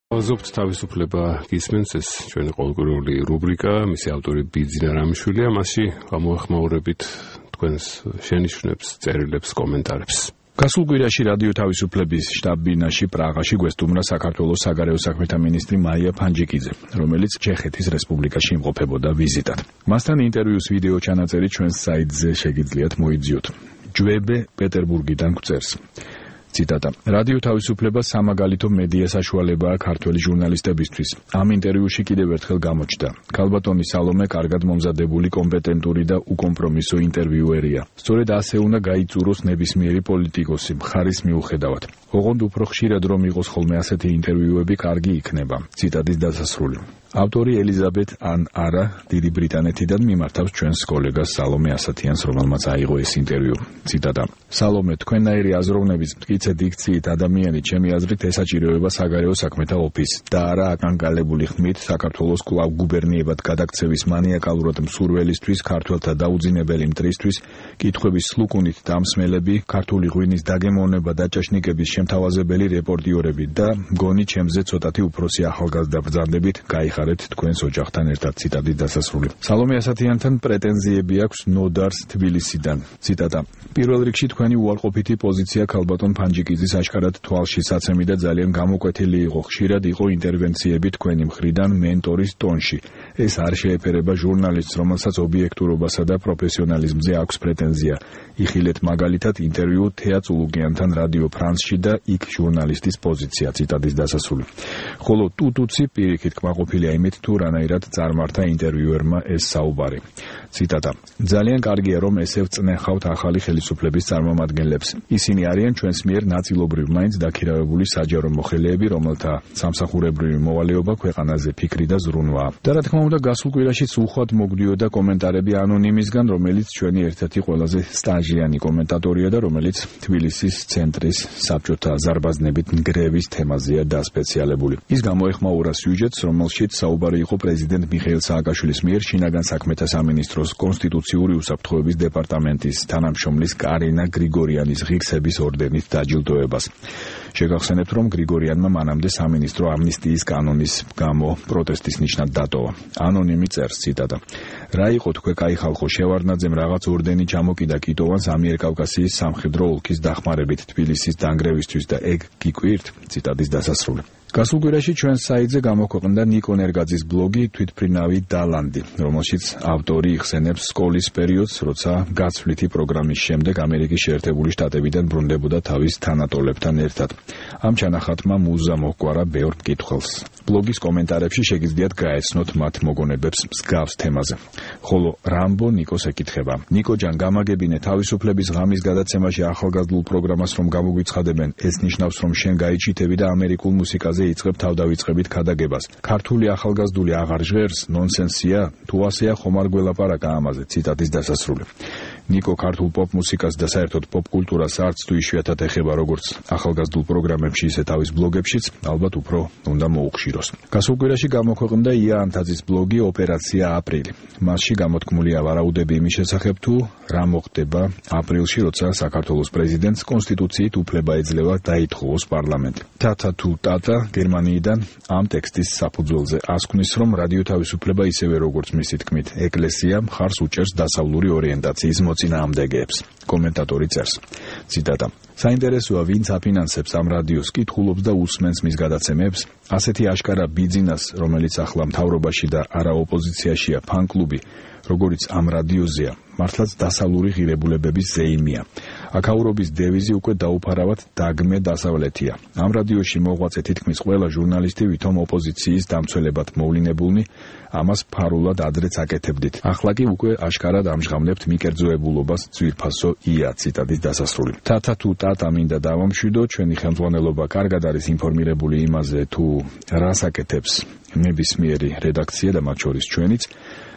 Აზობთ თავისუფლება გისმენს ეს ჩვენი ყოველკვირეული რუბრიკა, მისი ავტორი ბიძინა რამიშვილია, მასში გამოეხმაურებით თქვენს შენიშვნებს, წერილებს, კომენტარებს. გასულ კვირაში რადიო თავისუფლების შტაბ-ბინაში პრაღაში გვესტუმრა საქართველოს საგარეო საქმეთა მინისტრი მაია ფანჯიკიძე, რომელიც ჩეხეთის რესპუბლიკაში იმყოფებოდა ვიზიტად. მასთან ინტერვიუს ვიდეო ჩანაწერი ჩვენს საიტზე შეგიძლიათ მოიძიოთ. ჯვებე პეტერბურგიდან გვწერს. Citata. Radio თავისუფლება სამაგალითო მედია საშუალებაა ქართველი ჟურნალისტებისთვის. Ამ ინტერვიუში კიდევ ერთხელ გამოჩნდა. ქალბატონი სალომე კარგად მომზადებული, კომპეტენტური და უკომპრომისო ინტერვიუერია. სწორედ ასე უნდა გაიწუროს ნებისმიერი პოლიტიკოსი, მხარის მიუხედავად. ოღონდ უფრო ხშირად რომ იყოს ხოლმე ასეთი ინტერვიუები, კარგი იქნება. ციტატის დასასრული. ავტორი ელიზაბეთ ან არა დიდი ბრიტანეთიდან მიმართავს ჩვენს კოლეგას სალომე ასათიანს, რომელმაც აიღო ეს ინტერვიუ. ციტატა. სალომე, თქვენნაირი აზროვნების მტკიცე დიქციით ადამიანი ჩემი აზრით ესაჭიროება საგარეო საქმეთა ოფისს და არა აკანკალებული ხმით საქართველოს კვლავ გუბერნიებად გადაქცევის მანიაკალურად მსურველისთვის, ქართველთა დაუძინებელი მტრისთვის, კითხვების სლუკუნით დამსმელები, ქართული ღვინის დაგემოვნება და ჭაშნიკების შემთავაზებელი რეპორტიორები და მგონი ჩემზე ცოტათი უფროსი ახალგაზრდა ბრძანდებით გაიხარეთ თქვენს ოჯახთან ერთად. ციტატის დასასრული. სალომე ასათიანთან პრეტენზიები აქვს ნოდარს თბილისიდან. ციტატა. პირველ რიგში თქვენი უარყოფითი პოზიცია ქალბატონ ფანჯიკიძის აშკარად თვალში საცემი და ძალიან გამოკვეთილი იყო. ხშირად იყო ინტერვენციები თქვენი მხრიდან მენტორის ტონში. ეს არ შეეფერება ჟურნალისტს, რომელსაც ობიექტურობასა და პროფესიონალიზმზე აქვს პრეტენზია. იხილეთ მაგალითად ინტერვიუ თეა წულუკიანთან რადიო ფრანსში და იქ ჟურნალისტის პოზიცია. ციტატის დასასრული. ხოლო ტუტუცი პირიქით კმაყოფილია იმით, თუ რანაირად წარმართა ინტერვიუერმა ეს საუბარი. ციტატა. ძალიან კარგია, რომ ესე ვწნეხავთ ახალი ხელისუფლების წარმომადგენლებს. ისინი არიან ჩვენს მიერ ნაწილობრივ მაინც დაქირავებული საჯარო მოხელეები, რომელთა სამსახურებრივი მოვალეობა ქვეყანაზე ფიქრი და ზრუნვაა. და რა თქმა უნდა, გასულ კვირაშიც უხვად მოგდიოდა კომენტარები ანონიმისგან, რომელიც ჩვენი ერთ-ერთი ყველაზე სტაჟიანი კომენტატორია და რომელიც თბილისის ცენტრის საბჭოთა ზარბაზნებით ნგრევის თემაზეა დასპეციალებული. ის გამოეხმაურა სიუჟეტს, რომელშიც საუბარი იყო პრეზიდენტ მიხეილ სააკაშვილის მიერ შინაგან საქმეთა სამინისტროს კონსტიტუციური უსაფრთხოების დეპარტამენტის თანამშრომლის კარინა გრიგორიანის ღირსების ორდენით დაჯილდოებას. შეგახსენებთ, რომ გრიგორიანმა მანამდე სამინისტრო ამნისტიის კანონის გამო პროტესტის ნიშნად დატოვა. ანონიმი წერს. ციტატა. რა იყო თქვენ კაი ხალხო, შევარდნაძემ რაღაც ორდენი ჩამოკიდა კიტოვანს ამიერკავკასიის სამხედრო ოლქის დახმარებით თბილისის დანგრევისთვის და ეგ გიკვირთ. ციტატის დასასრული. გასულ კვირაში ჩვენს საიტზე გამოქვეყნდა ნიკო ნერგაძის ბლოგი თვითმფრინავი დალანდი, რომელშიც ავტორი იხსენებს სკოლის პერიოდს, როცა გაცვლითი პროგრამის შემდეგ ამერიკის შეერთებული შტატებიდან ბრუნდებოდა თავის თანატოლებთან ერთად. ამ ჩანახატმა მუზა მოჰგვარა ბევრ მკითხველს. ბლოგის კომენტარებში შეგიძლიათ გაეცნოთ მათ მოგონებებს მსგავს თემაზე. ხოლო რამბო ნიკოს ეკითხება. ნიკო ჯან, გამაგებინე თავისუფლების ღამის გადაცემაში ახალგაზრდულ პროგრამას რომ გამოგვიცხადებენ, ეს ნიშნავს რომ შენ გაიჩიტები და ამერიკულ მუსიკაზე იწყებ თავდავიწყებით ქადაგებას. ქართული ახალგაზრდული აღარ ჟღერს, ნონსენსია, თუ ასეა ხომ არ გველაპარაკა ამაზე. ციტატის დასასრული. ნიკო ქართულ პოპ მუსიკას და საერთოდ პოპ კულტურას არც თუ იშვიათად ეხება როგორც ახალგაზრდულ პროგრამებში, ისე თავის ბლოგებშიც, ალბათ უფრო უნდა მოუხშიროს. გასულ კვირაში გამოქვეყნდა ია ანთაძის ბლოგი ოპერაცია აპრილი. მასში გამოთქმულია ვარაუდები იმის შესახებ, თუ რა მოხდება აპრილში, როცა საქართველოს პრეზიდენტს კონსტიტუციით უფლება ეძლევა დაითხოვოს პარლამენტი. თათა თუ ტატა გერმანიიდან ამ ტექსტის საფუძველზე ასკვნის, რომ რადიო თავისუფლება ისევე როგორც მისი თქმით ეკლესია მხარს უჭერს დასავლური ორიენტაციის მოწინააღმდეგეებს. კომენტატორი წერს. ციტატა. საინტერესოა, ვინც აფინანსებს ამ რადიოს, კითხულობს და უსმენს მის გადაცემებს. ასეთი აშკარა ბიძინას, რომელიც ახლა მთავრობაში და არა ოპოზიციაშია ფან-კლუბი, როგორც ამ რადიოზეა, მართლაც დასავლური ღირებულებების ზეიმია. აქაურობის დევიზი უკვე დაუფარავად დაგმე დასავლეთია. ამ რადიოში მოღვაწე თითქმის ყველა ჟურნალისტი ვითომ ოპოზიციის დამცველებად მოვლინებულნი, ამას ფარულად ადრეც აკეთებდით. ახლა კი უკვე აშკარად ამჟღავნებთ მიკერძოებულობას ძვირფასო ია. ციტატის დასასრული. თათა თუ ტატა მინდა დავამშვიდო, ჩვენი ხელმძღვანელობა კარგად არის ინფორმირებული იმაზე, თუ რას აკეთებს ნებისმიერი რედაქცია და მათ შორის ჩვენიც.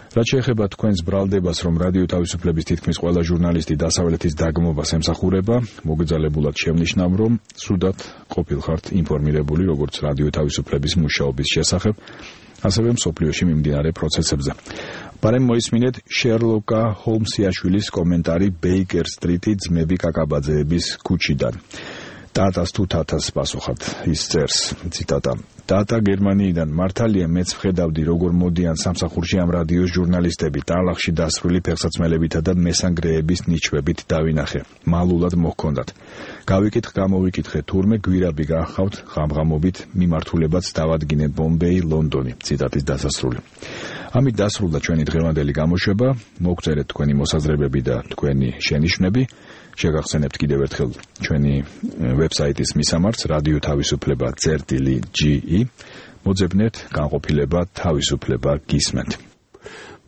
რაც შეეხება თქვენს ბრალდებას, რომ რადიო თავისუფლების თითქმის ყველა ჟურნალისტი დასავლეთის დაგმობას ემსახურება, მოგეძალებულად შევნიშნავ, რომ სრულად ყოფილხართ ინფორმირებული როგორც რადიო თავისუფლების მუშაობის შესახებ, ასევე მსოფლიოში მიმდინარე პროცესებზე. Բարემ მოისმინეთ შერლოკა ჰოლმსიაშვილის კომენტარი ბეიკერ სტრიტი ძმები კაკაბაძეების ქუჩიდან. ტატას თუ თათას პასუხად ის წერს. ციტატა. დატა გერმანიიდან მართალია მეც ვხედავდი როგორ მოდიან სამსახურში ამ რადიოს ჟურნალისტები ტალახში დასრული ფეხსაცმელებითა და მესანგრეების ნიჩვებით დავინახე მალულად მოჰქონდათ გამოვიკითხე თურმე გვირაბი გახავთ ღამღამობით მიმართულებაც დავადგინეთ ბომბეი ლონდონი ციტატის დასასრული ამით დასრულდა ჩვენი დღევანდელი გამოშვება მოგწერეთ თქვენი მოსაზრებები და თქვენი შენიშვნები შეგახსენებთ კიდევ ერთხელ ჩვენი ვებსაიტის მისამართს რადიო თავისუფლება.ge მოძებნეთ განყოფილება თავისუფლება გისმენთ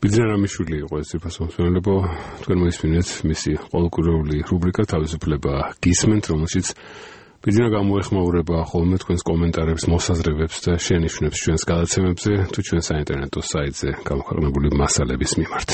ბიძინა რამიშვილი იყო ეს ფასონსმენელებო თქვენ მოისმინეთ მისი ყოველკვირეული რუბრიკა თავისუფლება გისმენთ რომელშიც ბიძინა გამოეხმაურება ხოლმე თქვენს კომენტარებს მოსაზრებებს და შენიშვნებს ჩვენს გადაცემებზე თუ ჩვენ საინტერნეტო საიტზე გამოქვეყნებული მასალების მიმართ